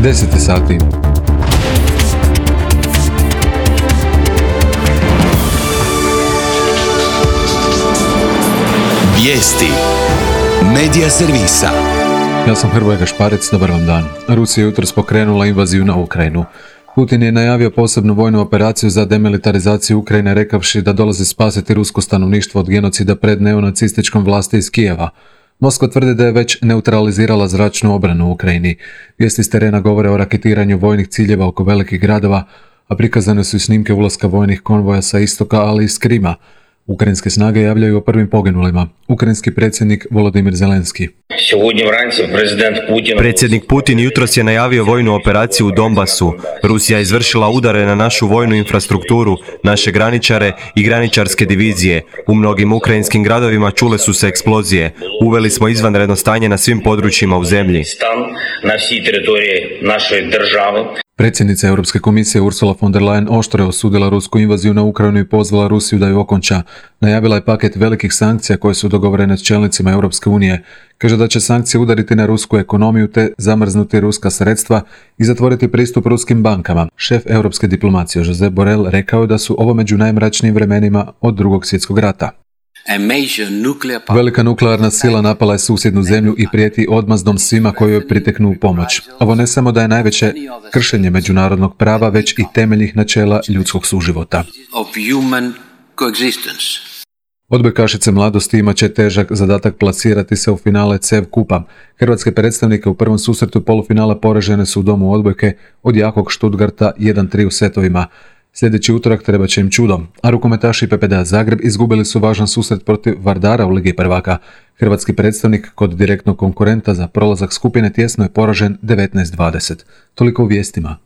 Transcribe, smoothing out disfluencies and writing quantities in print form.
10 sati. Vijesti Medija servisa. Ja sam Hrvoje Gašparec, dobar vam dan. Rusija je jutros pokrenula invaziju na Ukrajinu. Putin je najavio posebnu vojnu operaciju za demilitarizaciju Ukrajine, rekavši da dolazi spasiti rusko stanovništvo od genocida pred neonacističkom vlasti iz Kijeva. Moskva tvrdi da je već neutralizirala zračnu obranu u Ukrajini. Vijesti s terena govore o raketiranju vojnih ciljeva oko velikih gradova, a prikazane su i snimke ulaska vojnih konvoja sa istoka, ali i s Krima. Ukrajinske snage javljaju o prvim poginulima. Ukrajinski predsjednik Volodimir Zelenski. Predsjednik Putin jutros je najavio vojnu operaciju u Donbasu. Rusija je izvršila udare na našu vojnu infrastrukturu, naše graničare i graničarske divizije. U mnogim ukrajinskim gradovima čule su se eksplozije. Uveli smo izvanredno stanje na svim područjima u zemlji. Predsjednica Europske komisije Ursula von der Leyen oštro je osudila rusku invaziju na Ukrajinu i pozvala Rusiju da ju okonča. Najavila je paket velikih sankcija koje su dogovorene s čelnicima Europske unije. Kaže da će sankcije udariti na rusku ekonomiju te zamrznuti ruska sredstva i zatvoriti pristup ruskim bankama. Šef europske diplomacije Josep Borrell rekao da su ovo među najmračnijim vremenima od Drugog svjetskog rata. Velika nuklearna sila napala je susjednu zemlju i prijeti odmazdom svima koji joj priteknu u pomoć. Ovo ne samo da je najveće kršenje međunarodnog prava, već i temeljnih načela ljudskog suživota. Odbojkašice mladosti imat će težak zadatak plasirati se u finale CEV kupa. Hrvatske predstavnike u prvom susretu polufinala poražene su u domu odbojke od jakog Stuttgarta 1-3 u setovima. Sljedeći utorak treba će im čudo, a rukometaši PPD Zagreb izgubili su važan susret protiv Vardara u Ligi prvaka. Hrvatski predstavnik kod direktnog konkurenta za prolazak skupine tjesno je poražen 19-20. Toliko u vijestima.